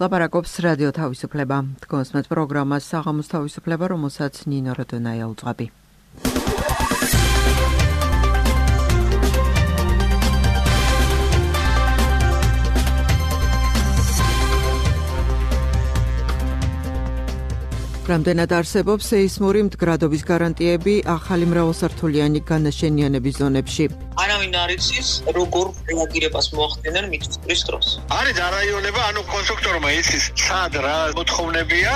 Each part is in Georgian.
ლაპარაკობს რადიო თავისუფლება. თქვენს პროგრამას საღამოს თავისუფლება, რომელსაც ნინო როდონაია უძღვები. რამდენად არსებობს სეისმური მდგრადობის გარანტიები ახალი მრავალსართულიანი განაშენიანების ზონებში? არავინ არ იცის, როგორ რეაგირებას მოახდენენ მიწისძვრის დროს. არის არაიონება, კონსტრუქტორმა იცის, სად რა მოთხოვნებია.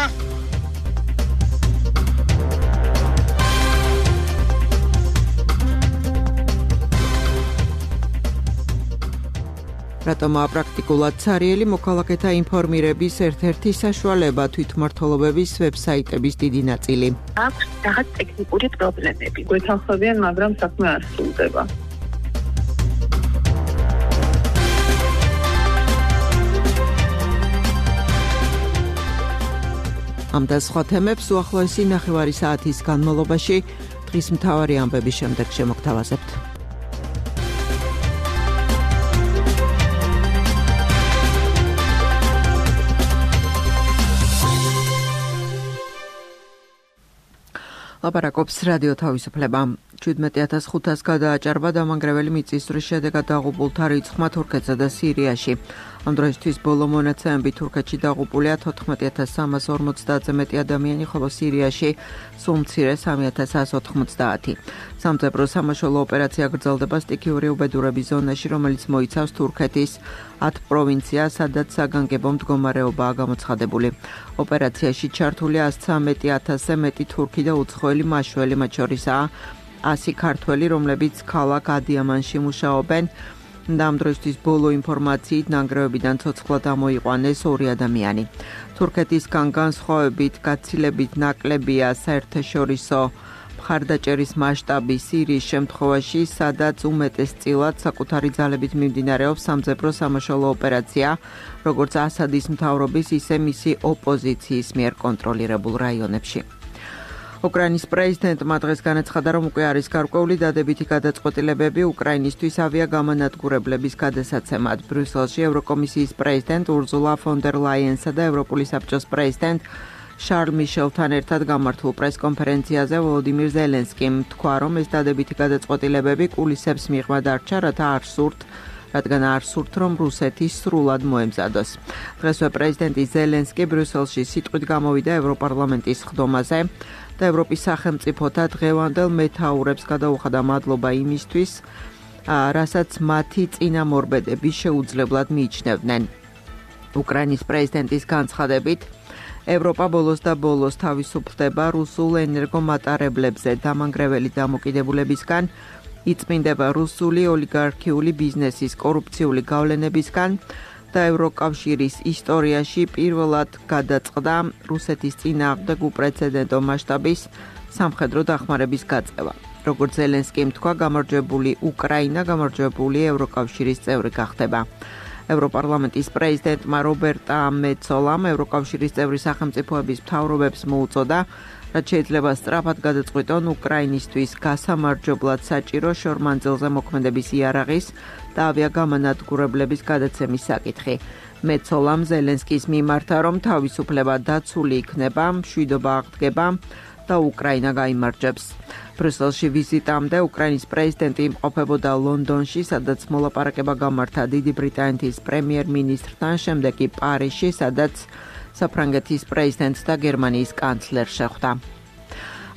რატომაა პრაქტიკულად ცარიელი მოქალაქეთა ინფორმირების ერთ-ერთი საშუალება თვითმმართველობების ვებსაიტების დიდი ნაწილი. აქვს რაღაც ტექნიკური პრობლემები. გვეთანხმებიან, მაგრამ საქმე არ სრულდება. ამ და სხვა თემებს უახლოესი ნახევარი საათის განმავლობაში დღის მთავარი ამბების შემდეგ შემოგთავაზებთ. ლაპარაკობს რადიო თავისუფლება. 17,500 გადააჭარბა დამანგრეველი მიწისძვრის შედეგად დაღუპულთა რიცხვმა თურქეთსა და სირიაში. ამ დროისთვის ბოლო მონაცემებით თურქეთში დაღუპულია 14,350-ზე მეტი ადამიანი, ხოლო სირიაში სულ მცირე 3,190. სამძებრო სამაშველო ოპერაცია გრძელდება სტიქიური უბედურების ზონაში, რომელიც მოიცავს თურქეთის 10 პროვინციას, სადაც საგანგებო მდგომარეობაა გამოცხადებული. ოპერაციაში ჩართული 113,000-ზე მეტი თურქი და უცხოელი მაშველი, მათ შორისაა 100 ქართველი, რომლებიც ქალაქ ადიამანში მუშაობენ. ამ დროისთვის ბოლო ინფორმაციით ნანგრევებიდან ცოცხლად ამოიყვანეს 2 ადამიანი. თურქეთისგან განსხვავებით გაცილებით ნაკლებია საერთაშორისო მხარდაჭერის მასშტაბი სირიის შემთხვევაში, სადაც უმეტესწილად საკუთარი ძალებით მიმდინარეობს სამძებრო სამაშველო ოპერაცია, როგორც ასადის მთავრობის, ისე მისი ოპოზიციის მიერ კონტროლირებულ რაიონებში. უკრაინის პრეზიდენტმა დღეს განაცხადა, რომ უკვე არის გარკვეული დადებითი გადაწყვეტილებები უკრაინისთვის ავიაგამონადგურებლების გადასაცემად. ბრიუსელში ევროკომისიის პრეზიდენტ ურზულა ფონ დერ ლაიენსა და ევროპული საბჭოს პრეზიდენტ შარლ მიშელთან ერთად გამართულ პრესკონფერენციაზე ვოლოდიმირ ზელენსკიმ თქვა, რომ ეს დადებითი გადაწყვეტილებები კულისებს მიღმა დარჩა, რადგან არ სურთ, რომ რუსეთი სრულად მოემზადოს. დღესვე პრეზიდენტი ზელენსკი ბრიუსელში სიტყვით გამოვიდა ევროპარლამენტის ხდომაზე და ევროპის სახელმწიფოთა დღევანდელ მეთაურებს გადაუხადა მადლობა იმისთვის, რასაც მათი წინამორბედები შეუძლებლად მიიჩნევდნენ. უკრაინის პრეზიდენტის განცხადებით, ევროპა ბოლოს და ბოლოს თავისუფლდება რუსულ ენერგომატარებლებზე დამანგრეველი დამოკიდებულებისგან, იწმინდება რუსული ოლიგარქიული ბიზნესის კორუფციული გავლენებისგან და ევროკავშირის ისტორიაში პირველად გადაწყდა რუსეთის წინააღმდეგ უპრეცედენტო მასშტაბის სამხედრო დახმარების გაწევა. როგორც ზელენსკიმ თქვა, გამარჯვებული უკრაინა გამარჯვებული ევროკავშირის წევრი გახდება. ევროპარლამენტის პრეზიდენტმა რობერტა მეცოლამ ევროკავშირის წევრი სახელმწიფოების მთავრობებს მოუწოდა, რაც შეიძლება სწრაფად გადაწყვიტონ უკრაინისთვის გასამარჯვებლად საჭირო შორმანძილზე მოქმედების იარაღის და ავიაგამონადგურებლების გადაცემის საკითხი. მეცოლამ ზელენსკის მიმართა, რომ თავისუფლება დაცული იქნება, მშვიდობა აღდგება და უკრაინა გაიმარჯვებს. ბრიუსელში ვიზიტამდე უკრაინის პრეზიდენტი იმყოფებოდა ლონდონში, სადაც მოლაპარაკება გამართა დიდი ბრიტანეთის პრემიერ-მინისტრთან, შემდეგ კი პარიზში, სადაც საფრანგეთის პრეზიდენტს და გერმანიის კანცლერს შეხვდა.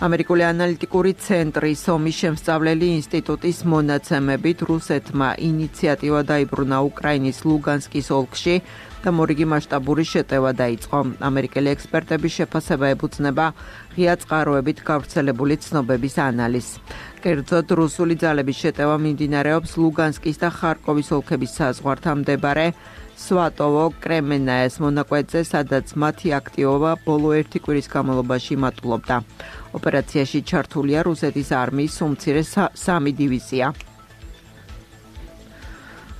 ამერიკული ანალიტიკური ცენტრი სომის შემსწავლელი ინსტიტუტის მონაცემებით რუსეთმა ინიციატივა დაიბრუნა უკრაინის ლუგანსკის ოლქში და მორიგი მასშტაბური შეტევა დაიწყო. ამერიკელი ექსპერტების შეფასება ეფუძნება ღია წყაროებით გავრცელებული ცნობების ანალიზს. კერძოდ, რუსული ძალების შეტევა მიმდინარეობს ლუგანსკის და ხარკოვის ოლქების საზღვართან მდებარე სვატოვო-კრემენაეს მონაკვეთზე, სადაც მათი აქტივობა ბოლო 1 კვირის განმავლობაში მატულობდა. ოპერაციაში ჩართულია რუსეთის არმიის უმცირე 3 დივიზია.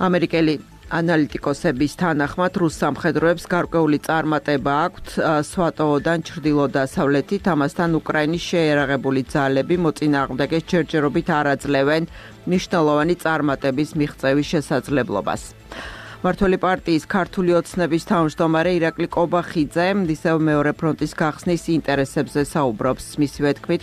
ამერიკელი ანალიტიკოსების თანახმად რუს სამხედროებს გარკვეული წარმატება აქვთ სვატოვოდან ჩრდილო-დასავლეთით, ამასთან უკრაინის შეიარაღებული ძალები მოწინააღმდეგეს ჯერჯერობით არ აძლევენ მნიშვნელოვანი წარმატების მიღწევის შესაძლებლობას. მმართველი პარტიის ქართული ოცნების თავმჯდომარე ირაკლი კობახიძე ისევ მეორე ფრონტის გახსნის ინტერესებზე საუბრობს. მისივე თქმით,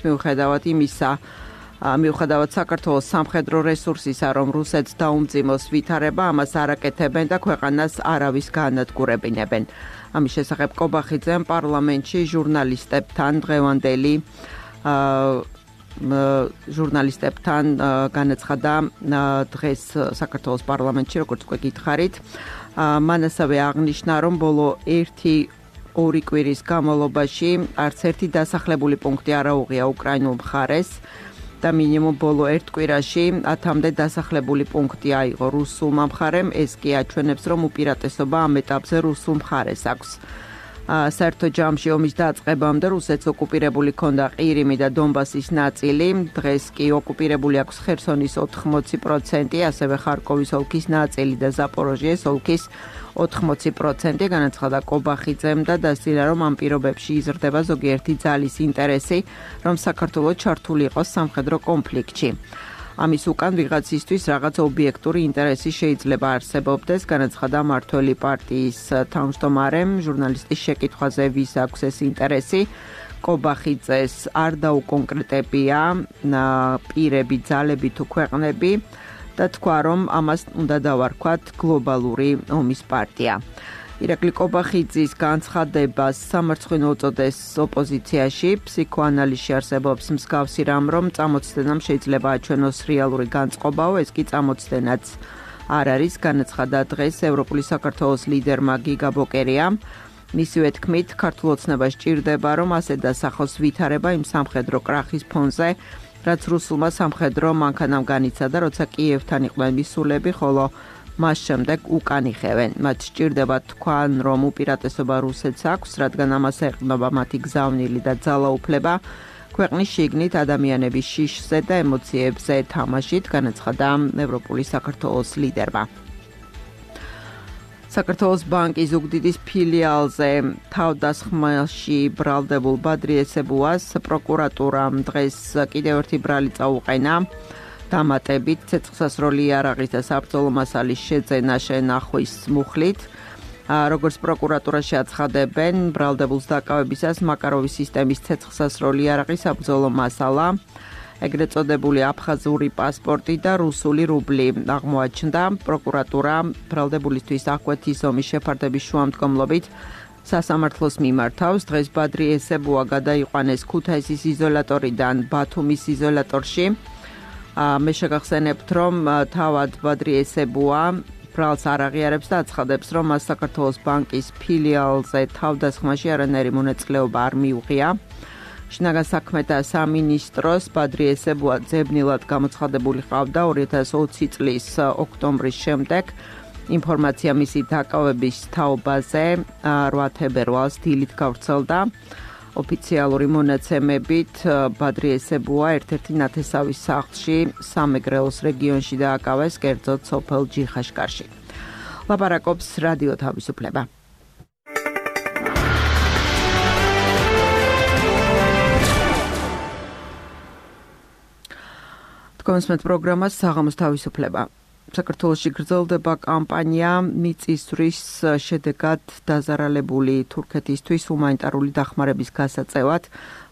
მიუხედავად საქართველოს სამხედრო რესურსისა, რომ რუსეთს დაუმძიმოს ვითარება, ამას არ აკეთებენ და ქვეყანას არავის გაანადგურებინებენ. ამის შესახებ კობახიძემ პარლამენტში ჟურნალისტებთან განაცხადა დღეს საქართველოს პარლამენტში, როგორც უკვე გითხარით. მან ასევე აღნიშნა, რომ ბოლო 1-2 კვირის განმავლობაში არც ერთი დასახლებული პუნქტი არ აუღია უკრაინულ მხარეს და მინიმუმ ბოლო 1 კვირაში 10-მდე დასახლებული პუნქტი აიღო რუსულმა მხარემ. ეს კი აჩვენებს, რომ უპირატესობა ამ ეტაპზე რუსულ მხარეს აქვს. საერთო ჯამში ომის დაწყებამდე რუსეთს ოკუპირებული ჰქონდა ყირიმი და დონბასის ნაწილი. დღეს კი ოკუპირებული აქვს ხერსონის 80%, ასევე ხარკოვის ოლქის ნაწილი და ზაპოროჟიეს ოლქის 80%, განაცხადა კობახიძემ და დასძინა, რომ ამ პირობებში იზრდება ზოგიერთი ძალის ინტერესი, რომ საქართველო ჩართული იყოს სამხედრო კონფლიქტში. ამის უკან ვიღაცისთვის რაღაც ობიექტური ინტერესი შეიძლება არსებობდეს, განაცხადა მმართველი პარტიის თავმჯდომარემ ჟურნალისტის შეკითხვაზე, ვის აქვს ეს ინტერესი. კობახიძეს არ დაუკონკრეტებია პირები, ძალები თუ ქვეყნები და თქვა, რომ ამას უნდა დავარქვათ გლობალური ომის პარტია. ირაკლი კობახიძის განცხადებას სამარცხვინო უწოდეს ოპოზიციაში. ფსიქოანალიზში არსებობს მსგავსი რამ, რომ წამოწდენამ შეიძლება აჩვენოს რეალური განწყობაო, ეს კი წამოწდენაც არ არის, განაცხადა დღეს ევროპული საქართველოს ლიდერმა გიგა ბოკერიამ. მისივე თქმით, ქართულ ოცნებას სჭირდება, რომ ასე დასახოს ვითარება იმ სამხედრო კრახის ფონზე, რაც რუსულმა სამხედრო მანქანამ განიცადა, როცა კიევთან იყვნენ მისულები, ხოლო მას შემდეგ უკან იხევენ. მათ სჭირდება თქვან, რომ უპირატესობა რუსეთს აქვს, რადგან ამას ეყრდნობა მათი გზავნილი და ძალაუფლება ქვეყნის შიგნით ადამიანების შიშზე და ემოციებზე თამაშით, განაცხადა ევროპული საქართველოს ლიდერმა. საქართველოს ბანკის ზუგდიდის ფილიალზე თავდასხმაში ბრალდებულ ბადრი ესებუას პროკურატურამ დღეს კიდევ ერთი ბრალი წაუყენა. დამატებით ცეცხლსასროლი იარაღის და საბრძოლო მასალის შეძენა შენახვის მუხლით. როგორც პროკურატურაში აცხადებენ, ბრალდებულს დაკავებისას მაკაროვის სისტემის ცეცხლსასროლი იარაღის საბრძოლო მასალა, ეგრეთ წოდებული აფხაზური პასპორტი და რუსული რუბლი აღმოაჩნდა. პროკურატურა ბრალდებულისთვის აღკვეთის ომის შეფარდების შუამდგომლობით სასამართლოს მიმართავს. დღეს ბადრი ესებუა გადაიყვანეს ქუთაისის იზოლატორიდან ბათუმის იზოლატორში. მე შეგახსენებთ, რომ თავად ბადრი ესებუა ბრალს არ აღიარებს და აცხადებს, რომ მას საქართველოს ბანკის ფილიალზე თავდასხმაში არანაირი მონაწილეობა არ მიუღია. შინაგან საქმეთა სამინისტროს ბადრი ესებუა ძებნილად გამოცხადებული ყავდა 2020 წლის ოქტომბრის შემდეგ. ინფორმაცია მისი დაკავების თაობაზე 8 თებერვალს დილით გავრცელდა. ოფიციალური მონაცემებით ბადრი ესებუა ერთ-ერთი ნათესავის სახლში სამეგრელოს რეგიონში დააკავეს, კერძოდ სოფელ ჯიხაშკარში. ლაპარაკობს რადიო თავისუფლება. თქვენს პროგრამას საღამოს თავისუფლება. საქართველოში გრძელდება კამპანია მიწისძვრის შედეგად დაზარალებული თურქეთისთვის ჰუმანიტარული დახმარების გასაწევად.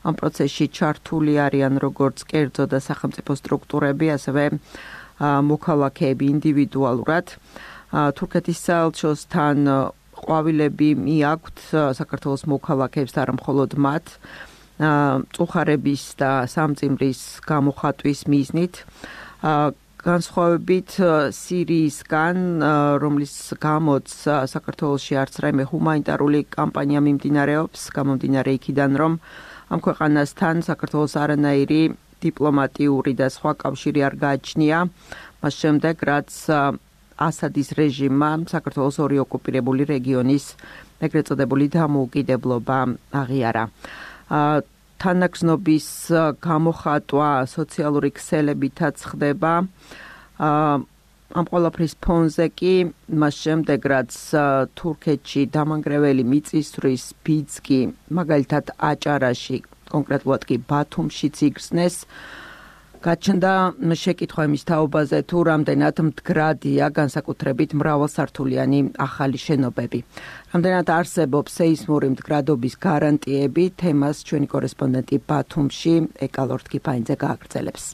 ამ პროცესში ჩართული არიან როგორც კერძო და სახელმწიფო სტრუქტურები, ასევე მოქალაქეები ინდივიდუალურად. თურქეთის საელჩოსთან ყვავილები მიაქვთ საქართველოს მოქალაქეებს და არა მხოლოდ მათ. წუხარების და სამძიმრის გამოხატვის მიზნით. განსხვავებით სირიისგან, რომლის გამოც საქართველოში არც რაიმე ჰუმანიტარული კამპანია მიმდინარეობს, გამომდინარე იქიდან, რომ ამ ქვეყანასთან საქართველოს არანაირი დიპლომატიური და სხვა კავშირი არ გააჩნია, მას შემდეგ, რაც ასადის რეჟიმმა საქართველოს ორი ოკუპირებული რეგიონის ეგრეთ წოდებული დამოუკიდებლობა აღიარა. თანაგზნობის გამოხატვა სოციალური ქსელებითაც ხდება. ამ ყველაფრის ფონზე კი მას შემდეგ, რაც თურქეთში დამანგრეველი მიწისძვრის ბიძგი, მაგალითად აჭარაში, კონკრეტულად კი ბათუმშიც იგრძნეს, გაჩნდა შეკითხვა იმის თაობაზე, თუ რამდენად მდგრადია განსაკუთრებით მრავალსართულიანი ახალი შენობები. Რამდენად არსებობს სეისმური მდგრადობის გარანტიები, თემას ჩვენი კორესპონდენტი ბათუმში ეკალორთ კიფაინძე გააგრძელებს.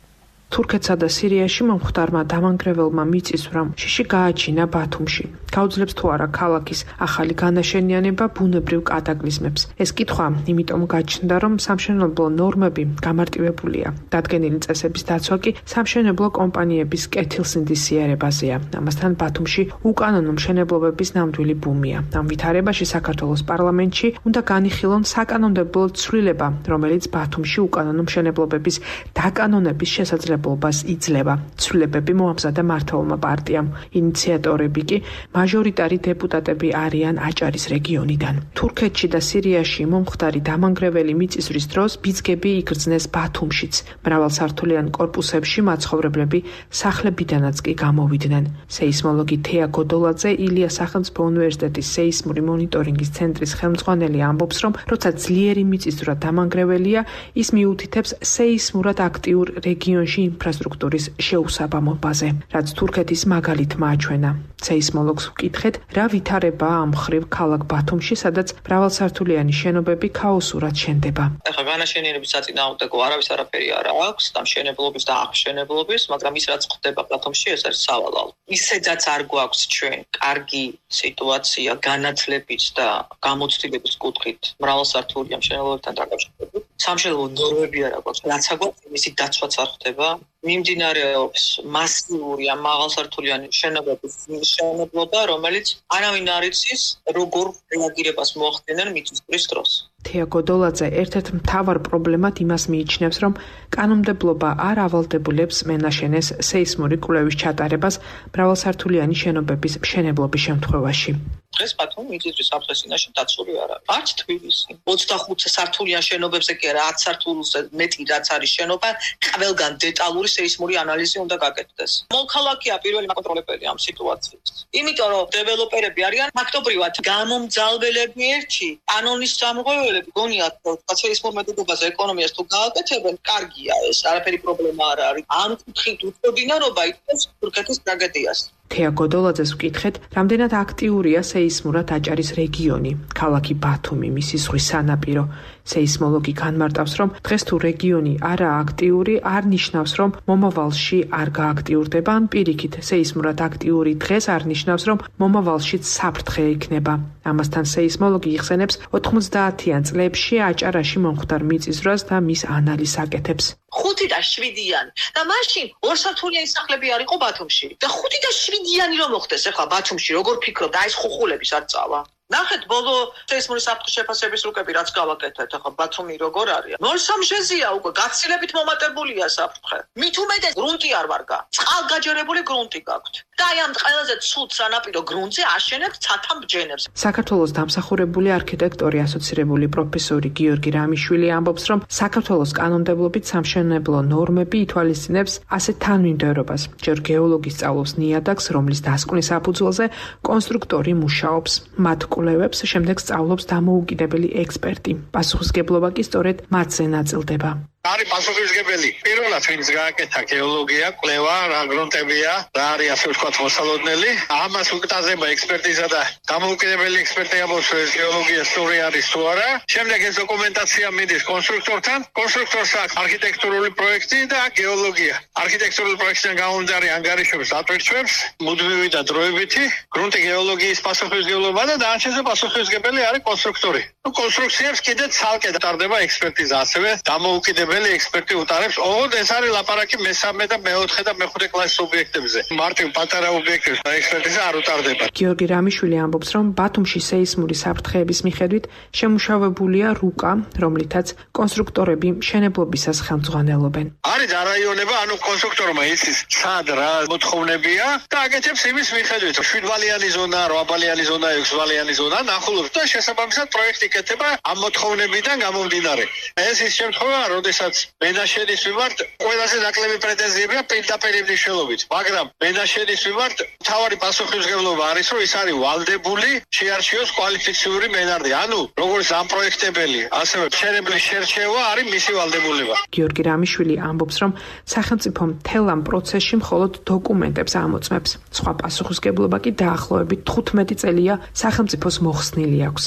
თურქეთსა და სირიაში მომხდარმა დამანგრეველმა მიწისძვრამ შიში გააჩინა ბათუმში. გაუძლებს თუ არა ქალაქის ახალი განაშენიანება ბუნებრივ კატაკლიზმებს. ეს კითხვა იმიტომ გაჩნდა, რომ სამშენებლო ნორმები გამარტივებულია. დადგენილი წესების დაცვა კი სამშენებლო კომპანიების კეთილსინდისიერებაზეა. ამასთან ბათუმში უკანონო მშენებლობების ნამდვილი ბუმია. ამ ვითარებაში საქართველოს პარლამენტში უნდა განიხილონ საკანონმდებლო ცვლილება, რომელიც ბათუმში უკანონო მშენებლობების დაკანონების შესაძლებლობას იძლევა. ცვლილებები მოამზადა მართლმა პარტიამ. ინიციატორები კი მაჟორიტარი დეპუტატები არიან აჭარის რეგიონიდან. თურქეთში და სირიაში მომხდარი დამანგრეველი მიწისძვრის დროს ბიძგები იგრძნეს ბათუმშიც. მრავალსართულიან კორპუსებში მაცხოვრებლები სახლებიდანაც კი გამოვიდნენ. სეისმოლოგი თეა გოდოლაძე ილიას სახელმწიფო უნივერსიტეტის სეისმური მონიტორინგის ცენტრის ხელმძღვანელი ამბობს, რომ როცა ძლიერი მიწისძვრა დამანგრეველია, ის მიუთითებს სეისმურად აქტიურ რეგიონში ინფრასტრუქტურის შეუსაბამობაზე, რაც თურქეთის მაგალითმა აჩვენა. სეისმოლოგს ვკითხეთ, რა ვითარებაა ამ მხრივ ქალაქ ბათუმში, სადაც მრავალსართულიანი შენობები ქაოსურად შენდება. ახლა განაშენიანების საწინააღმდეგო არავის არაფერი არ აქვს, დამშენებლობის და აღშენებლობის, მაგრამ ის რაც ხდება ბათუმში, ეს არის სავალალო. ისედაც არ გვაქვს ჩვენ კარგი სიტუაცია განათლების და გამოცდილების კუთხით მრავალსართულიან მშენებლობებთან დაკავშირებით. სამშენებლო ნორმები არ აქვს, რაც აგვაქვს, მისი დაცვაც არ ხდება. მიმდინარეობს მასიური ამ მაღალსართულიანი შენობების მშენებლობა, რომელიც არავინ არ იცის, როგორ რეაგირებას მოახდინენ მიწისძვრის დროს. თეა გოდოლაძე ერთ-ერთ მთავარ პრობლემად იმას მიიჩნევს, რომ კანონმდებლობა არ ავალდებულებს მენაშენეს სეისმური კვლევის ჩატარებას მრავალსართულიანი შენობების მშენებლობის შემთხვევაში. დღეს ბათუმი მიწისძვრის საფრთხესინაში დაცული არ არის. არც თბილისი. 25 სართულიან შენობებზე კი არა, 10 სართულზე მეტი რაც არის შენობა, ყველგან დეტალური სეისმური ანალიზი უნდა გაკეთდეს. მოქალაქეა პირველი მაკონტროლებელი ამ სიტუაციის. იმიტომ რომ დეველოპერები არიან ფაქტობრივად გამომძალველები ერთი, კანონის სამღვევლები, გონიათ სეისმურ მეთოდობაზე ეკონომიას თუ გააკეთებენ, კარგია ეს, არაფერი პრობლემა არ არის. ამ კუთხით უწოდინარობა იწვევს თურქეთის ტრაგედიას. თეა გოდოლაძეს ვკითხეთ, რამდენად აქტიურია სეისმურად აჭარის რეგიონი, ქალაქი ბათუმი, მისი ზღვის სანაპირო. სეისმოლოგი განმარტავს, რომ დღეს თუ რეგიონი არაა აქტიური, არ ნიშნავს, რომ მომავალში არ გააქტიურდება, ან პირიქით, სეისმურად აქტიური დღეს არ ნიშნავს, რომ მომავალშიც საფრთხე იქნება. ამასთან სეისმოლოგი იხსენებს 90-იან წლებში აჭარაში მომხდარ მიწისძვრას და მის ანალიზს აკეთებს. 5 და 7-იანი და მაშინ ორსართულიანი სახლები არ იყო ბათუმში და 5 და 7-იანი რომ მოხდეს ახლა ბათუმში როგორ ფიქრობ და ეს ხუხულების არ წავა ნახეთ ბოლო სეისმური საფრთხის შეფასების რუკები რაც გავაკეთეთ ახლა ბათუმი როგორ არის 0-3-ჟეზია უკვე გაცილებით მომატებულია საფრთხე მით უმეტეს გრუნტი არ ვარგა წყალგაჯერებული გრუნტი გაქვთ და აი ამ ყველაზე ცუდ სანაპირო გრუნტზე აშენებთ ცათამბჯენებს საქართველოს დამსახურებული არქიტექტორი ასოცირებული პროფესორი გიორგი რამიშვილი ამბობს რომ საქართველოს კანონმდებლობით სამშენებლო ნორმები ითვალისწინებს ასეთ თანმიმდევრობას ჯერ გეოლოგი სწავლობს ნიადაგს რომლის დასკვნის საფუძველზე კონსტრუქტორი მუშაობს მათ კვლევებს შემდეგ სწავლობს დამოუკიდებელი ექსპერტი პასუხისგებლობა კი სწორედ მათზე ნაწილდება არის პასუხისგებელი. პირველად ვინც გააკეთა გეოლოგია, კვლევა, რა გრუნტებია, რა არის ასე ვთქვათ მოსალოდნელი. ამას უკტაზება ექსპერტიზა და დამოუკიდებელი ექსპერტი ამბობს, ეს გეოლოგია სწორი არის თუ არა. შემდეგ ეს დოკუმენტაცია მიდის კონსტრუქტორთან. კონსტრუქტორს აქვს არქიტექტურული პროექტი და გეოლოგია. არქიტექტურული პროექტიდან გამომდინარე ანგარიშებს ატვირთვებს, მუდმივი და დროებითი. გრუნტი გეოლოგიის პასუხისგებლობა და დანარჩენზე პასუხისგებელი არის კონსტრუქტორი. კონსტრუქციებს კიდე ცალკე ტარდება ექსპერტიზა, ასევე დამოუკიდებელი ექსპერტი უტარებს. ოღონდ ეს არის ლაპარაკი მესამე და მეოთხე და მეხუთე კლასის ობიექტებზე. მარტივ პატარა ობიექტებს ექსპერტიზა არ უტარდება. გიორგი რამიშვილი ამბობს, რომ ბათუმში სეისმური საფრთხეების მიხედვით შემუშავებულია რუკა, რომლითაც კონსტრუქტორები მშენებლობისას ხელმძღვანელობენ. არის დარაიონება, ანუ კონსტრუქტორმა იცის სად რა მოთხოვნებია და აკეთებს იმის მიხედვით. 7 ბალიანი ზონა, 8 ბალიანი ზონა, 6 ბალიანი ზონა, ნახულობს და შესაბამისად პროექტი იკეთება ამ მოთხოვნებიდან გამომდინარე. ეს ის შემთხვევაა, როდესაც მენაშენის მიმართ ყველაზე ნაკლები პრეტენზიებია პირდაპირ მნიშვნელობით, მაგრამ მენაშენის მიმართ მთავარი პასუხისმგებლობა არის, რომ ის არის ვალდებული შეარჩიოს კვალიფიციური მენარდი. ანუ როგორც ამ პროექტებელი, ასევე მშენებლის შერჩევა არის მისი ვალდებულება. გიორგი რამიშვილი ამბობს, რომ სახელმწიფო მთელ ამ პროცესში მხოლოდ დოკუმენტებს ამოწმებს. სხვა პასუხისმგებლობა კი დაახლოებით 15 წელია სახელმწიფოს მოხსნილი აქვს.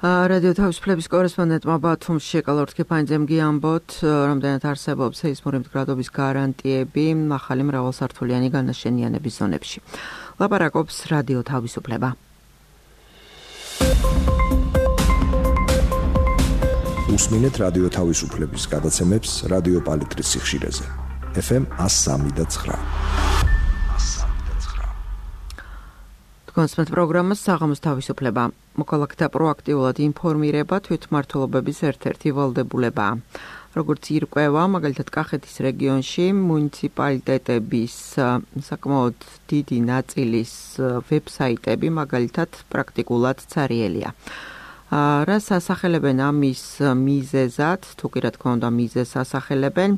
რადიო თავისუფლების კორესპონდენტმა ბათუმში კალორთ ქეფანიძემ გიამბოთ, რამდენად არსებობს სეისმური მდგრადობის გარანტიები ახალი მრავალსართულიანი განაშენიანების ზონებში. ლაპარაკობს რადიო თავისუფლება. უსმინეთ რადიო თავისუფლების გადაცემებს რადიო პალიტრის სიხშირეზე. FM 103.9. კონსპექტ პროგრამას საღამოს თავისუფლება. მოქალაქეთა პროაქტიულად ინფორმირება თვითმმართველობების ერთ-ერთი ვალდებულებაა. როგორც ირკვევა, მაგალითად კახეთის რეგიონში მუნიციპალიტეტების საკმაოდ დიდი ნაწილის ვებსაიტები მაგალითად პრაქტიკულად цаრიელია. რას ასახელებენ ამის მიზეზად, თუ კი რა თქმა უნდა მიზეზს ასახელებენ,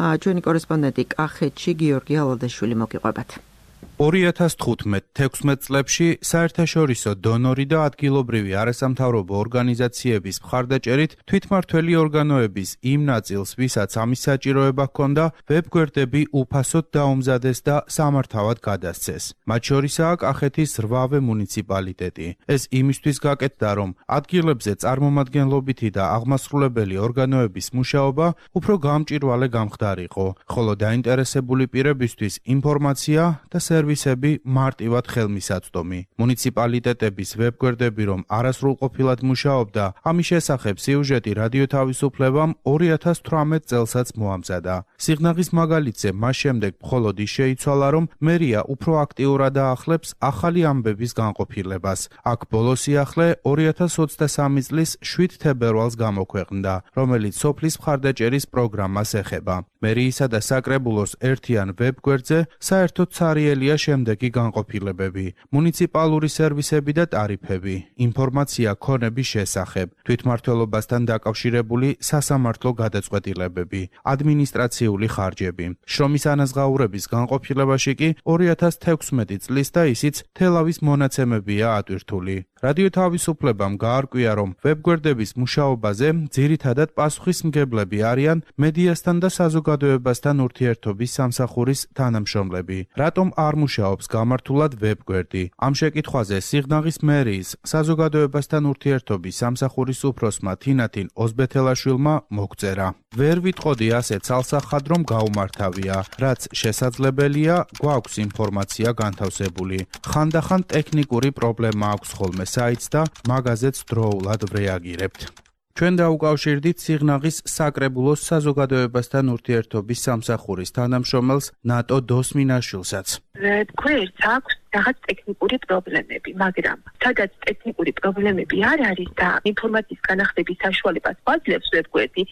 ჩვენი კორესპონდენტი კახეთში გიორგი ალადაშვილი მოგიყვებათ. 2015-16 წლებში საერთაშორისო დონორი და ადგილობრივი არასამთავრობო ორგანიზაციების მხარდაჭერით თვითმმართველი ორგანოების იმ ნაწილს, ვისაც ამის საჭიროება ჰქონდა, ვებგვერდები უფასოდ დაუმზადეს და სამართავად გადასცეს. მათ შორისაა კახეთის 8 მუნიციპალიტეტი. ეს იმისთვის გაკეთდა, რომ ადგილებზე წარმომადგენლობითი და აღმასრულებელი ორგანოების მუშაობა უფრო გამჭვირვალე გამხდარიყო, ხოლო დაინტერესებული პირებისთვის ინფორმაცია და სერვისები მარტივად ხელმისაწვდომი. მუნიციპალიტეტების ვებგვერდები რომ არასრულყოფილად მუშაობდა, ამის შესახებ სიუჟეტი რადიო თავისუფლებამ 2018 წელსაც მოამზადა. სიღნაღის მაგალითზე მას შემდეგ მხოლოდ ის შეიცვალა, რომ მერია უფრო აქტიურად აახლებს ახალი ამბების განყოფილებას. აქ ბოლო სიახლე 2023 წლის 7 თებერვალს გამოქვეყნდა, რომელიც სოფლის მხარდაჭერის პროგრამას ეხება. მერიისა და საკრებულოს ერთიან ვებგვერდზე საერთოდ цаრიელია შემდეგი განყოფილებები: მუნიციპალური სერვისები და ტარიფები, ინფორმაცია ქონების შესახებ, თვითმმართველობასთან დაკავშირებული სასამართლო გადაწყვეტილებები, ადმინისტრაციული ხარჯები. შრომის ანაზღაურების განყოფილებაში კი 2016 წლის და ისიც თელავის მონაცემებია ატვირთული. რადიო თავისუფლებამ გაარკვია, რომ ვებგვერდების მუშაობაზე ძირითადად პასუხისმგებლები არიან მედიასთან და საზოგადოებასთან ურთიერთობის სამსახურის თანამშრომლები. რატომ არ მუშაობს გამართულად ვებგვერდი? ამ შეკითხვაზე სიღნაღის მერიის საზოგადოებასთან ურთიერთობის სამსახურის უფროსმა თინათინ ოზბეთელაშვილმა მოგწერა. ვერ ვიტყოდი ასე ცალსახად, რომ გაუმართავია, რაც შესაძლებელია, გვაქვს ინფორმაცია განთავსებული. ხანდახან ტექნიკური პრობლემა აქვს ხოლმე საიტს და მაგაზეც დროულად ვრეაგირებთ. ჩვენ დაუკავშირდით სიღნაღის საკრებულოს საზოგადოებასთან ურთიერთობის სამსახურის თანამშრომელს ნატო დოსმინაშვილსაც. ვებგვერდს აქვს რაღაც ტექნიკური პრობლემები, მაგრამ სადაც ტექნიკური პრობლემები არ არის და ინფორმაციის განახდების საშუალებას გვაძლევს ვებგვერდი,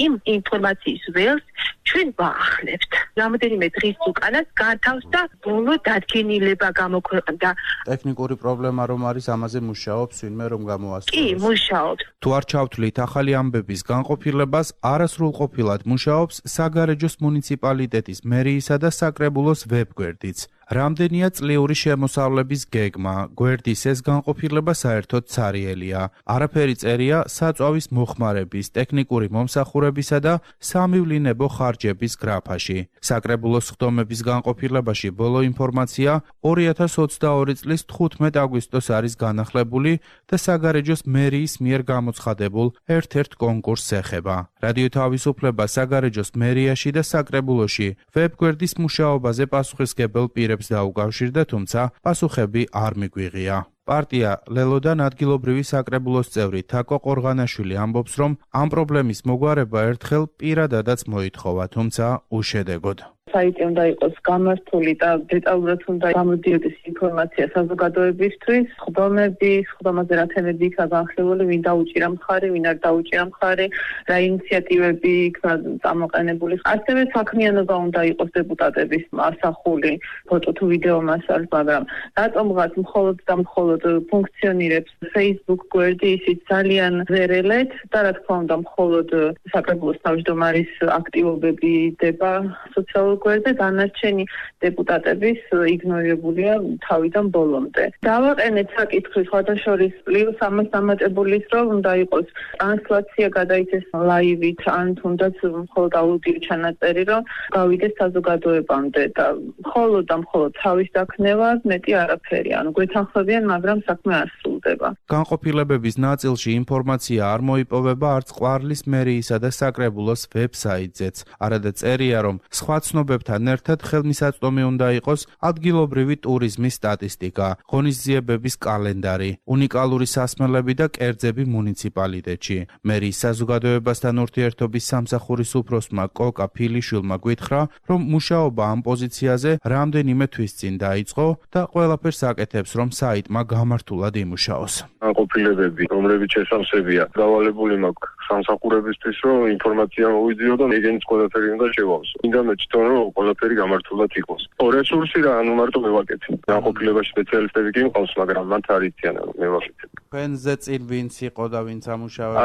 იმ ინფორმაციის ველს ჩვენ ვაახლებთ. რამოდენიმე დღის უკანაც განთავსდა ბოლო დადგენილება გამოქვეყნდა. ტექნიკური პრობლემა რომ არის, ამაზე მუშაობს ვინმე რომ გამოასწოროს. კი, მუშაობს. თუ არ ჩავთვლით ახალი ამბების განყოფილებას, არასრულყოფილად მუშაობს საგარეჯოს მუნიციპალიტეტის მერიისა და საკრებულოს ვებგვერდიც. რამდენია წლიური შემოსავლების გეგმა, გვერდის ეს განყოფილება საერთოდ цаრიელია. არაფერი წერია საწვავის მოხმარების, ტექნიკური მომსახურებისა და სამივლინებო ხარჯების გრაფაში. საკრებულოს ხდომების განყოფილებაში ბოლო ინფორმაცია 2022 წლის 15 აგვისტოს არის განახლებული და საგარეჯოს მერიის მიერ გამოცხადებულ ერთ-ერთ კონკურსს ეხება. რადიო თავისუფლება საგარეჯოს მერიაში და საკრებულოში ვებგვერდის მუშაობაზე პასუხისმგებელ პირებს დაუკავშირდა, თუმცა პასუხები არ მიგვიღია. პარტია ლელოდან ადგილობრივი საკრებულოს წევრი თაკო ყორღანაშვილი ამბობს, რომ ამ პრობლემის მოგვარება ერთხელ პირადადაც მოითხოვა, თუმცა უშედეგოდ. საიტი უნდა იყოს გამართული და დეტალურად უნდა გამოდიოდეს ინფორმაცია საზოგადოებისთვის, ხდომები, ხდომაზე რა თემები იქნა განხილული, ვინ დაუჭირა მხარი, ვინ არ დაუჭირა მხარი, რა ინიციატივები იქნა წამოყენებული. ასევე საქმიანობა უნდა იყოს დეპუტატების ასახული ფოტო თუ ვიდეო მასალით, მაგრამ რატომღაც მხოლოდ და მხოლოდ ფუნქციონირებს Facebook გვერდი, ისიც ძალიან ზერელეთ და რა თქმა უნდა მხოლოდ საკრებულოს თავმჯდომარის აქტივობები დება სოციალურ გვერდზე, დანარჩენი დეპუტატების იგნორირებულია თავიდან ბოლომდე. დავაყენეთ საკითხი სხვადასხვის პლუს ამას დამატებული ის რომ უნდა იყოს ტრანსლაცია გადაიცეს ლაივით ან თუნდაც მხოლოდ აუდიო ჩანაწერი რომ გავიდეს საზოგადოებამდე და მხოლოდ და მხოლოდ თავის დაქნევა მეტი არაფერი, ანუ გვეთანხმებიან, მაგრამ საქმე არ სრულდება. განყოფილებების ნაწილში ინფორმაცია არ მოიპოვება არც ყვარლის მერიისა და საკრებულოს ვებსაიტზეც. არადა წერია, რომ სხვა ცნობებთან ერთად ხელმისაწვდომი უნდა იყოს ადგილობრივი ტურიზმის სტატისტიკა, ღონისძიებების კალენდარი, უნიკალური სასმელები და კერძები მუნიციპალიტეტში. მერიის საზოგადოებასთან ურთიერთობის სამსახურის უფროსმა კოკა ფილიშვილმა გითხრა, რომ მუშაობა ამ პოზიციაზე რამდენიმე თვის წინ დაიწყო და ყველაფერს აკეთებს, რომ საიტმა გამართულად იმუშაოს. განყოფილებები, რომლებიც შესამსებია, დავალებული მაქვს სამსახურებისთვის, რომ ინფორმაცია მოვიძიო და ეგენიც ყველაფერი უნდა შევავსო. მინდა მეცდომ, რომ ყველაფერი გამართულად იყოს. რესურსი რა, ანუ მარტო მევაკეთე. განყოფილებაში სპეციალისტები კი მყავს, მაგრამ მათ არ იციან, რომ მევაკეთე. თქვენზე წინ ვინც იყო და ვინც ამუშავებდა?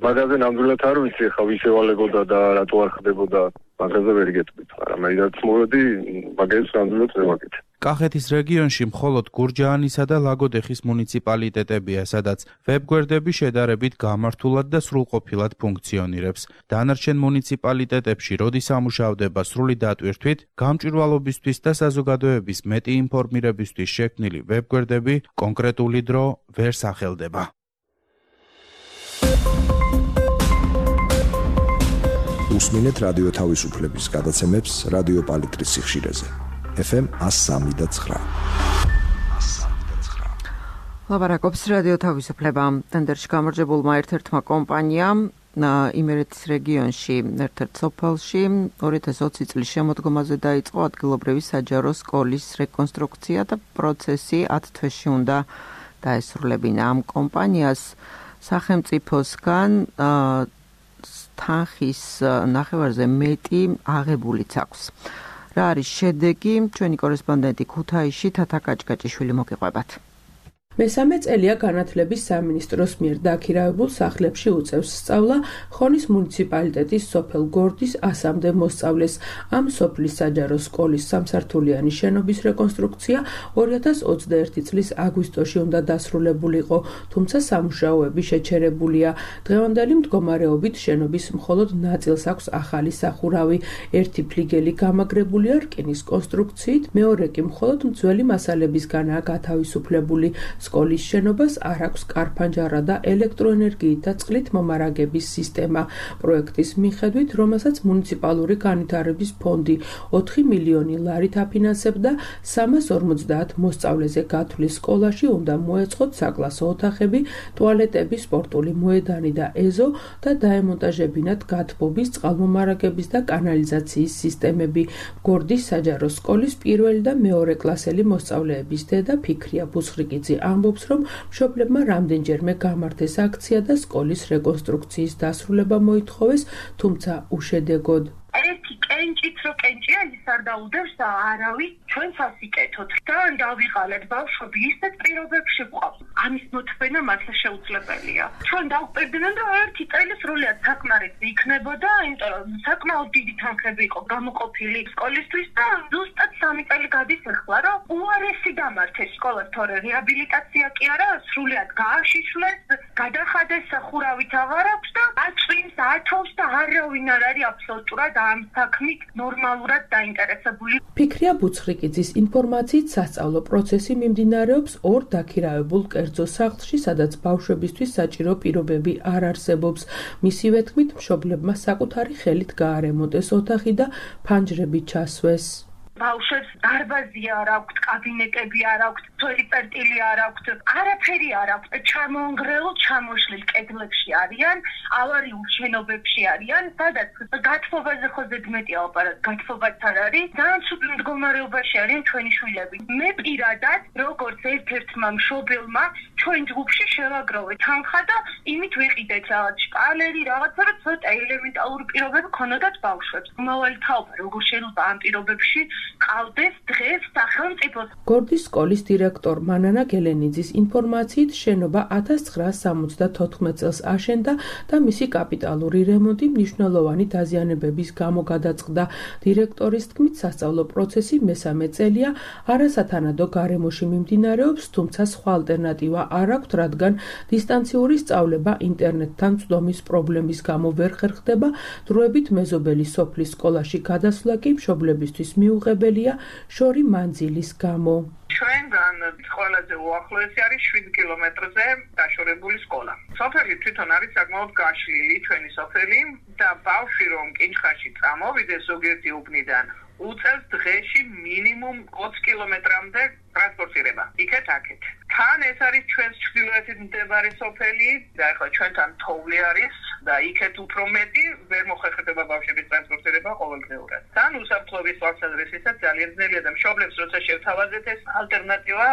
მაგაზე ნამდვილად არ ვიცი, ხა ვის ევალებოდა და რატო არ ხდებოდა. მაგაზე ვერ გეტყვით, მაგრამ მე რაც მოვედი, მაგას ნამდვილად მევაკეთე. კახეთის რეგიონში მხოლოდ გურჯაანისა და ლაგოდეხის მუნიციპალიტეტებია, სადაც ვებგვერდები შედარებით გამართულად და სრულყოფილად ფუნქციონირებს. დანარჩენ მუნიციპალიტეტებში, როდის ამუშავდება სრული დატვირთვით, გამჭვირვალობისთვის და საზოგადოების მეტი ინფორმირებისთვის შექმნილი ვებგვერდები კონკრეტული დრო ვერ სახელდება. უსმინეთ რადიო თავისუფლების გადაცემებს რადიო პალიტრის სიხშირეზე. FM 103.9. ლაპარაკობს რადიო თავისუფლება. ტენდერში გამარჯვებულმა ერთ-ერთმა კომპანიამ იმერეთის რეგიონში ერთ-ერთ სოფელში 2020 წლის შემოდგომაზე დაიწყო ადგილობრივი საჯარო სკოლის რეკონსტრუქცია და პროცესი 10 თვეში უნდა დაესრულებინა. ამ კომპანიას სახელმწიფოსგან თანხის ნახევარზე მეტი აღებულიც აქვს. რა არის შედეგი? ჩვენი კორესპონდენტი ქუთაისში თათა კაჭკაჭიშვილი მოგიყვებათ. მესამე წელია განათლების სამინისტროს მიერ დაქირავებულ სახლებში უწევს სწავლა ხონის მუნიციპალიტეტის სოფელ გორდის 100-მდე მოსწავლეს. ამ სოფლის საჯარო სკოლის სამსართულიანი შენობის რეკონსტრუქცია 2021 წლის აგვისტოში უნდა დასრულებულიყო, თუმცა სამუშაოები შეჩერებულია. დღევანდელი მდგომარეობით შენობის მხოლოდ ნაწილს აქვს ახალი სახურავი. ერთი ფლიგელი გამაგრებულია რკინის კონსტრუქციით, მეორე კი მხოლოდ მძველი მასალებისგანაა გათავისუფლებული. სკოლის შენობას არ აქვს კარფანჯარა და ელექტროენერგიით და წყლით მომარაგების სისტემა. პროექტის მიხედვით, რომელსაც მუნიციპალური განვითარების ფონდი 4 მილიონი ლარით აფინანსებდა, 350 მოსწავლეზე გათვლის სკოლაში უნდა მოეწყოთ საკლასო ოთახები, ტუალეტები, სპორტული მოედანი და ეზო და დაემონტაჟებინათ გათბობის, წყალმომარაგების და კანალიზაციის სისტემები. გორდის საჯარო სკოლის პირველი და მეორე კლასელი მოსწავლეების დედა ფიქრია ბუსხრიკიძე ამბობს, რომ მშობლებმა რამდენჯერმე გამართეს აქცია და სკოლის რეკონსტრუქციის დასრულება მოითხოვეს, თუმცა უშედეგოდ. ერთი კენჭით რო კენჭია ის არ დაუდევს და არავის ჩვენც ასიკეთოთ და დავიღალეთ ბავშვები ისეთ პირობებში ვყავთ. ამის მოთხოვნა მართლა შეუძლებელია. ჩვენ დავუპირდნენ რომ ერთი წელი სრულად საკმარისი იქნებოდა, იმიტომ რომ საკმაოდ დიდი თანხები იყო გამოყოფილი სკოლისთვის და ზუსტად 3 წელი გადის ახლა, რომ უარესი დამართეს სკოლას, თორე რეაბილიტაცია კი არა, სრულად გააშიშვლეს, გადახადეს, სახურავით აღარ აქვს და აწვიმს, ათავს და არავინ არ არის აბსოლუტურად ამ საქმით ნორმალურად დაინტერესებული. ფიქრია ბუცხრიკიძის ინფორმაციით სასწავლო პროცესი მიმდინარეობს ორ დაქირავებულ კერძო სახლში, სადაც ბავშვებისთვის საჭირო პირობები არ არსებობს. მისივე თქმით, მშობლებმა საკუთარი ხელით გაარემონტეს ოთახი და ფანჯრები ჩასვეს. ბავშვებს დარბაზი არ აქვთ, კაბინეტები არ აქვთ, ტოილეტი არ აქვთ, არაფერი არ აქვთ. ჩამონგრეულ, ჩამოშლილ კედლებში არიან, ავარიულ შენობებში არიან, სადაც გათხოვაზე ხო ზედმეტია ოპერაცია, გათხოვაც არ არის. ძალიან ცუდ მდგომარეობაში არიან ჩვენი შვილები. მე პირადად, როგორც ერთ-ერთმა მშობელმა, ჩვენ ჯგუფში შევაგროვე თანხა და იმით ვიყიდეთ რაღაც შპალერი, რაღაცა, რომ ცოტა ელემენტარული პირობები ქონოდათ ბავშვებს. მომავალი თაობა როგორ შეიძლება ამ პირობებში ყავდეს დღეს სახელმწიფოს. გორდის სკოლის დირექტორ მანანა გელენიძის ინფორმაციით შენობა 1974 წელს აშენდა და მისი კაპიტალური რემონტი მნიშვნელოვანი დაზიანებების გამო გადაწყდა. დირექტორის თქმით, სასწავლო პროცესი მესამე წელია არასათანადო გარემოში მიმდინარეობს, თუმცა სხვა ალტერნატივა არ აქვთ, რადგან დისტანციური სწავლება ინტერნეტთან წვდომის პრობლემის გამო ვერ ხერხდება. დროებით მეზობელი სოფლის სკოლაში გადასვლა კი მშობლებისთვის მიუღებელია შორი მანძილის გამო. ჩვენგან ყველაზე უახლოესი არის 7 კილომეტრზე დაშორებული სკოლა. სოფელი თვითონ არის საკმაოდ გაშლილი, ჩვენი სოფელი და ბავშვი რომ კინჩხაში წამოვიდეს ზოგიერთი უბნიდან, უწევს დღეში მინიმუმ 20 კილომეტრამდე ტრანსპორტირება. იქეთ-აქეთ. თან ეს არის ჩვენს ჩრდილოეთით მდებარე სოფელი და ახლა ჩვენთან თოვლი არის და იქეთ უფრო მეტი ვერ მოხერხდება ბავშვების ტრანსპორტირება ყოველდღიურად. თან უსაფრთხოების თვალსაზრისითაც ძალიან ძნელია და მშობლებს როცა შევთავაზეთ ეს ალტერნატივა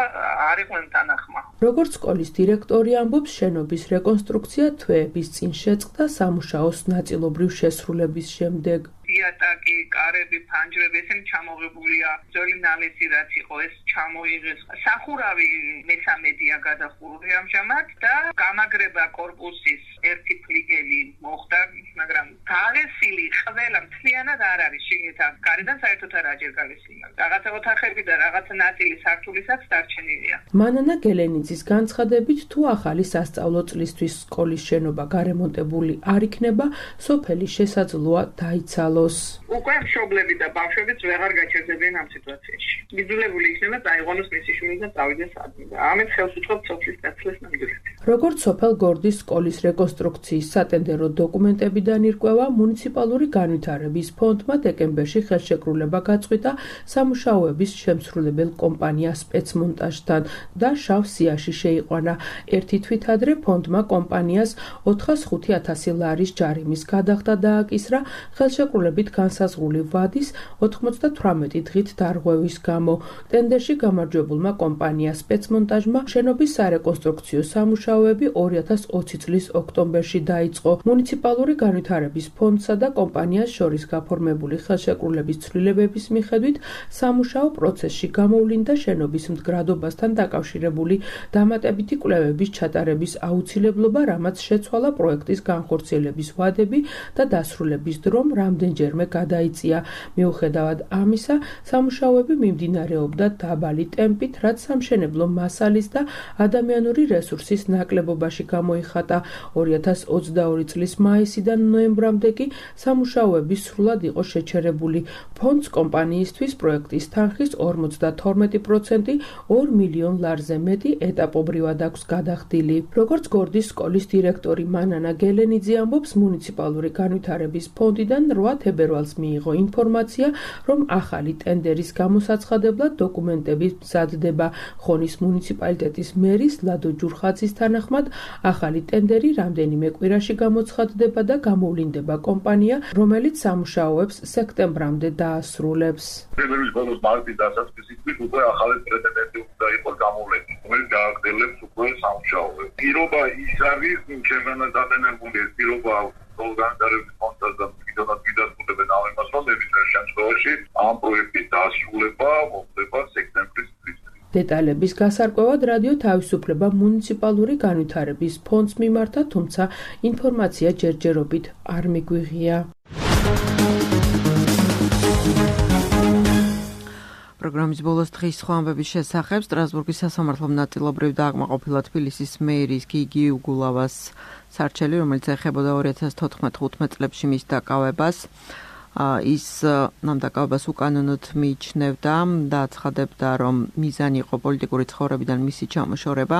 არ იყვნენ თანახმა. როგორც სკოლის დირექტორი ამბობს, შენობის რეკონსტრუქცია თვეების წინ შეწყდა სამუშაოს ნაწილობრივ შესრულების შემდეგ. იატაკი, კარები, ფანჯრები, ესენი ჩამოღებულია. ძველი ნალესი რაც იყო, ეს ჩამოიღეს. სახურავი მესამედია გადახურული ამჟამად და გამაგრება კორპუსის ერთი ფლიგელი მოხდა, მაგრამ გალესილი ყველა მთლიანად არ არის შიგნითა. გარედან საერთოდ არაა ჯერ გალესილი. რაღაცა ოთახები და რაღაცა ნაწილი სართულისაც დარჩენილია. მანანა გელენიძის განცხადებით, თუ ახალი სასწავლო წლისთვის სკოლის შენობა გარემონტებული არ იქნება, სოფელი შესაძლოა დაიცალოს. უკვე მშობლები და ბავშვებიც ვეღარ გაჩერდებიან ამ სიტუაციაში. იძულებული იქნება დაიღვანოს მისი შვილი და წავიდეს ადმი და ამით ხელს უწყობთ სოფლის დაცლას ნამდვილად. როგორც სოფელ გორდის სკოლის რეკონსტრუქციის სატენდერო დოკუმენტებიდან ირკვევა, მუნიციპალური განვითარების ფონდმა დეკემბერში ხელშეკრულება გაწყვიტა სამუშაოების შემსრულებელ კომპანია სპეცმონტაჟთან და შავ სიაში შეიყვანა. ერთი თვით ადრე ფონდმა კომპანიას 405,000 ლარის ჯარიმის გადახდა დააკისრა ხელშეკრულებით განსაზღვრული ვადის 98 დღით დარღვევის გამო. ტენდერში გამარჯვებულმა კომპანია სპეცმონტაჟმა შენობის სარეკონსტრუქციო სამუშაოები 2020 წლის ოქტომბერში დაიწყო. მუნიციპალური განვითარების ფონდსა და კომპანიას შორის გაფორმებული ხელშეკრულების ცვლილებების მიხედვით სამუშაო პროცესში გამოვლინდა შენობის მდგრადობასთან დაკავშირებული დამატებითი კვლევების ჩატარების აუცილებლობა, რამაც შეცვალა პროექტის განხორციელების ვადები და დასრულების დრომ რამდენჯერმე გადაიწია. მიუხედავად ამისა, სამუშაოები მიმდინარეობდა დაბალი ტემპით, რაც სამშენებლო მასალის და ადამიანური რესურსის ნაკლებობაში გამოიხატა. 2022 წლის მაისიდან ნოემბრამდე კი სამუშაოები სრულად იყო შეჩერებული. ფონდს კომპანიისთვის პროექტის თანხის 52% 2 მილიონ ლარზე მეტი ეტაპობრივად აქვს გადახდილი. როგორც გორდის სკოლის დირექტორი მანანა გელენიძე ამბობს, მუნიციპალური განვითარების ფონდიდან 8 თებერვალს მიიღო ინფორმაცია, რომ ახალი ტენდერის გამოსაცხადებლად დოკუმენტები მზადდება. ხონის მუნიციპალიტეტის მერის ლადო ჯურხაძის თანახმად, ახალი ტენდერი რამდენიმე კვირაში გამოცხადდება და გამოვლინდება კომპანია, რომელიც სამუშაოებს სექტემბრამდე დაასრულებს. თებერვლის ბოლოს მარტის დასაწყისით უკვე ახალი პრეტენდენტი უნდა იყოს გამოვლენილი, რომელიც გააგრძელებს უკვე სამუშაოებს. პირობა ის არის, ჩემგანაც დადენებული ეს პირობა განვითარების ფონდს და კიდევაც გიდასტურებენ ამ იმას, რომ მებისმიერ შემთხვევაში ამ პროექტის დასრულება მოხდება სექტემბრის თვით. დეტალების გასარკვევად რადიო თავისუფლება მუნიციპალური განვითარების ფონდს მიმართა, თუმცა ინფორმაცია ჯერჯერობით არ მიგვიღია. პროგრამის ბოლოს დღის სხვა ამბების შესახებ სტრასბურგის სასამართლომ ნაწილობრივ დააკმაყოფილა თბილისის მერის გიგი უგულავას სარჩელი, რომელიც ეხებოდა 2014-15 წლებში მის დაკავებას. ის ამ დაკავებას უკანონოდ მიიჩნევდა და აცხადებდა, რომ მიზანი იყო პოლიტიკური ცხოვრებიდან მისი ჩამოშორება.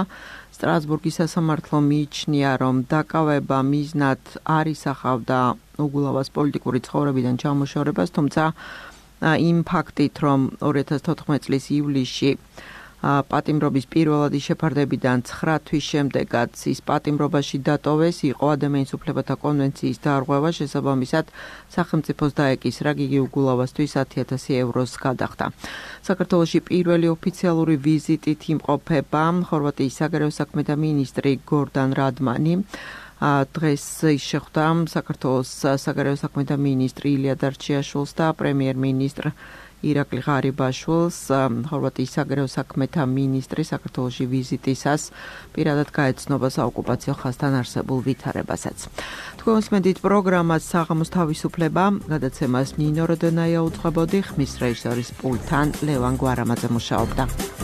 სტრასბურგის სასამართლომ მიიჩნია, რომ დაკავება მიზნად არ ისახავდა უგულავას პოლიტიკური ცხოვრებიდან ჩამოშორებას, თუმცა იმ ფაქტით, რომ 2014 წლის ივლისში პატიმრობის პირველადი შეფარდებიდან 9 თვის შემდეგაც ის პატიმრობაში დატოვეს, იყო ადამიანის უფლებათა კონვენციის დარღვევა, შესაბამისად სახელმწიფოს დაეკისრა გიგი უგულავასთვის 10,000 ევროს გადახდა. საქართველოში პირველი ოფიციალური ვიზიტით იმყოფება ხორვატიის საგარეო საქმეთა მინისტრი გორდან რადმანი. დღეს ის შეხვდა საქართველოს საგარეო საქმეთა მინისტრი ილია დარჩიაშვილს და პრემიერ-მინისტრ ირაკლი ღარიბაშვილს. ხორვატიის საგარეო საქმეთა მინისტრი საქართველოში ვიზიტისას პირადად გაეცნობა საოკუპაციო ხაზთან არსებულ ვითარებასაც. თქვენს მედით პროგრამას საღამოს თავისუფლება გადაცემას ნინო როდონაია უძღვებოდი, ხმის რეჟისორის პულტთან ლევან გვარამაძე მუშაობდა.